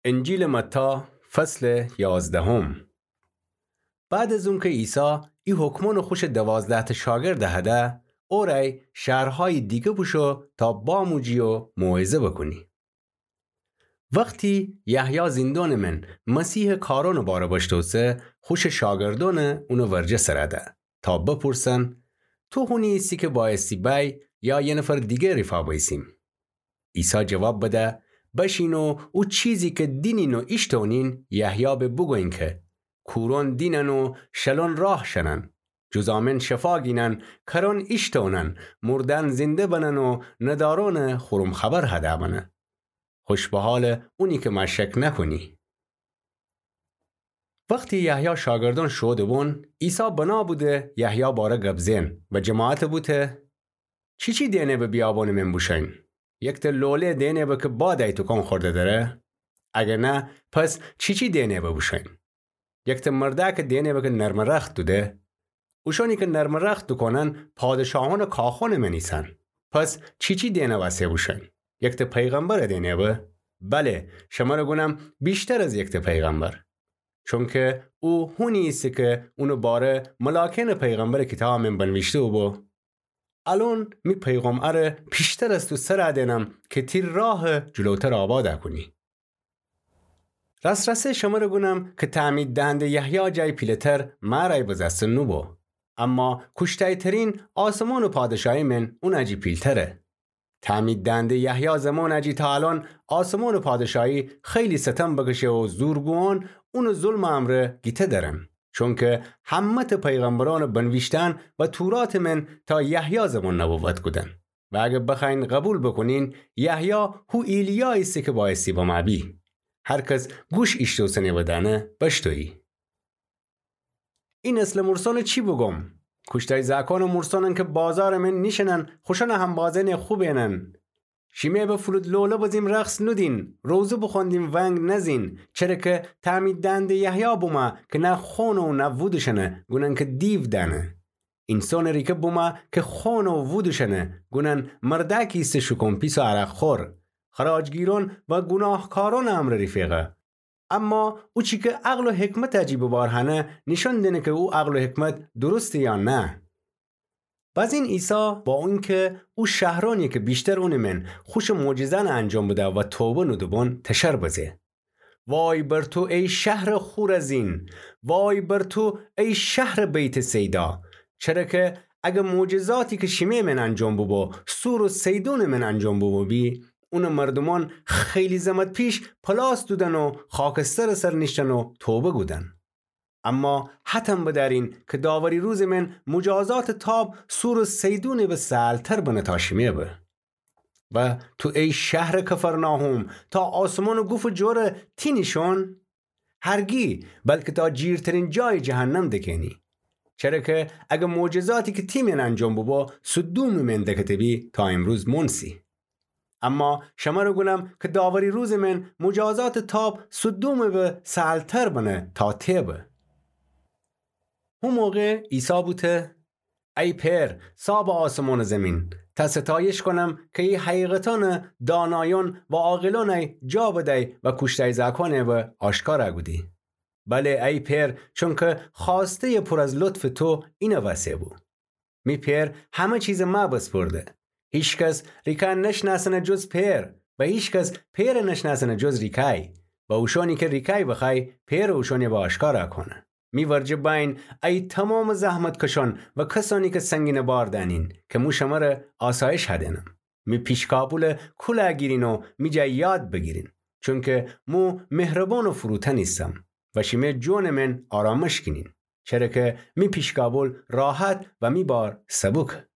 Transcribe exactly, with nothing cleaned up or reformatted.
انجیلٚ متی، فصلٚ یازدهم. بعد از اونکه عیسی ای حکمأنٚ خوشٚ دوازده‌تأ شاگرد دهده، اورأی شهرهایٚ دیگه بوشو تا باموجی و موعظه بوکونی. وختی یحیی زیندانٚ من مسیحٚ کارأنٚ باره بشتوسه، خوشٚ شاگردأن اونٚ ورجه سر ده تا بپورسن: تو هونی ایسی که بأیستی بأی یا یه نفر دیگه ریفا بأیسیم؟ عیسی جواب بده: بشین و او چیزی که دینین و ایشتونین یحیی به بوگوین که کورأن دینن و شلأن راه شنن، جذامأن شفا گینن، کرأن ایشتونن، مردأن زنده بنن و ندارأن خورم خبر هده بنه. خوش به حالٚ اونی که مأ شک نکونی. وختی یحیی شاگردأن شوده بون، عیسی بنا بوده یحیی باره گب زئن و جماعتٚ بوته: چیچی دئنه به بیابانٚ من بوشوین؟ یکته لوله دئنه به که باد ای توکان خورده دره؟ اگه نه، پس چیچی دئنه به بوشوین؟ یکته مردأکه دئنه به که نرمٚ رخت دوده؟ اوشانی که نرمٚ رخت دوکونن پادشاهأنٚ کاخأنٚ من ایسن. پس چیچی دئنه وسه بوشوین؟ یکته پیغمبره دئنه به؟ بله، شمره گونم ویشتر از یکته پیغمبر. چونکه او هونی ایسه که اونٚ باره ملاکأنٚ پیغمبرٚ کیتابٚ من بنویشته بوبو. الأن می پیغمبره پیشتر از تو سر دئنم که تی راهه جلوتر آباد کونی. راس‌راسی شمره گونم که تعمید دهنده یحیی جای پیله‌تر مأرأی بزأسته نوبو. اما کوشتایترین آسمانٚ پادشاهی من اونٚ جی پیلتره. تعمید دهنده یحیی زمانٚ جی تا الأن آسمانٚ پادشاهی خیلی ستم بکشه و زورگویأن اونٚ ظلمٚ امرأ گیته درن. چونکه همه‌تأ پیغمبرأنٚ بنویشتن و توراتٚ من تا یحیی زمان نبوت کودن. و اگه بخوأیین قبول بوکونین، یحیی هو ایلیا ایسه که بأیستی بمأ بی. هر کس گوش ایشتوسنه بدأنه بشتویی. ای نسلٚ مورسأنه چی بوگوم؟ کوشتای زأکأنٚ مورسأنن که بازارٚ من نیشینن، خوشأنٚ همبازأنٚ خو بینن. شیمه به فلوت لوله بزیم رقص نودین، روزه بخوأندین ونگ نزین، چره که تعمید دهنده یحیی بومه که نه خون و نه وودوشنه، گونن که دیو دأنه. اینسانٚ ریکه بومه که خون و وودوشنه، گونن مردأکی ایسه شوکون پیس و عرق‌خور، خراجگیرأن و گوناهکارأنٚ امرأ ریفیقه. اما او چی که عقل و حکمتٚ جی ببار هنه، نیشأن دینه که او عقل و حکمت درسته یا نه. بازین عیسی با اونکه او شهرأنی که ویشتر اونٚ من خوشٚ معجزأنٚ انجام بده و توبه نوده بون تشر بزه: وای بر تو ای شهرٚ خورزین! وای بر تو ای شهرٚ بیت‌صیدا! چره که اگه معجزاتی که شیمه من انجام بوبو، صور و صیدونٚ من انجام بوبو بی، اونٚ مردومأن خیلی زمأت پیش پلاس دودن و خاکسترٚ سر نیشتن و توبه کودن. اما هتم بدأرین که داوری روزٚ من مجازاتٚ تاب صور و صیدونٚ به سهل‌تر بنه تا شیمه به. و تو ای شهرٚ کفرناحوم، تا آسمانٚ گوفٚ جور تی نیشون؟ هرگی، بلکه تا جیرترین جایٚ جهنم دکه‌نی. چره که اگه معجزاتی که تی من انجام بوبو سدومٚ من دکته بی، تا امروز مونسی. اما شمره گونم که داوری روزٚ من مجازاتٚ تاب سدومٚ به سهل‌تر بنه تا تی به. هو موقع عیسی بوته: ای پئر، صاحبٚ آسمان و زیمین، تا ستایش کونم که ای حقیقتأنٚ دانایأن و عاقلأنٚ جا بدی و کوشتای زأکأنٚ به آشکار کودی. بله ای پئر، چونکه خوأسته‌یٚ پور از لطفٚ تو اینه وسه بو. می پئر همه چیزٚ مأ بسپرده. هیکس ریکا نشنأسنه جز پئر، و هیکس پئر نشنأسنه جز ریکای، و اوشأنی که ریکای بخوای، پئر اوشأنٚ به آشکار کونه. می ورجه بأیین ای تومامٚ زحمتکشأن و کسأنی که سنگینٚ بار دأنین، که مو شمره آسایش هدینم. می پیشکابولٚ کول گیرین و می جا یاد بیگیرین، چونکه مو مهربان و فروتن ایسم و شیمه جونٚ من آرامش گینین، چره که می پیشکابول راحت و می بار سبوکه.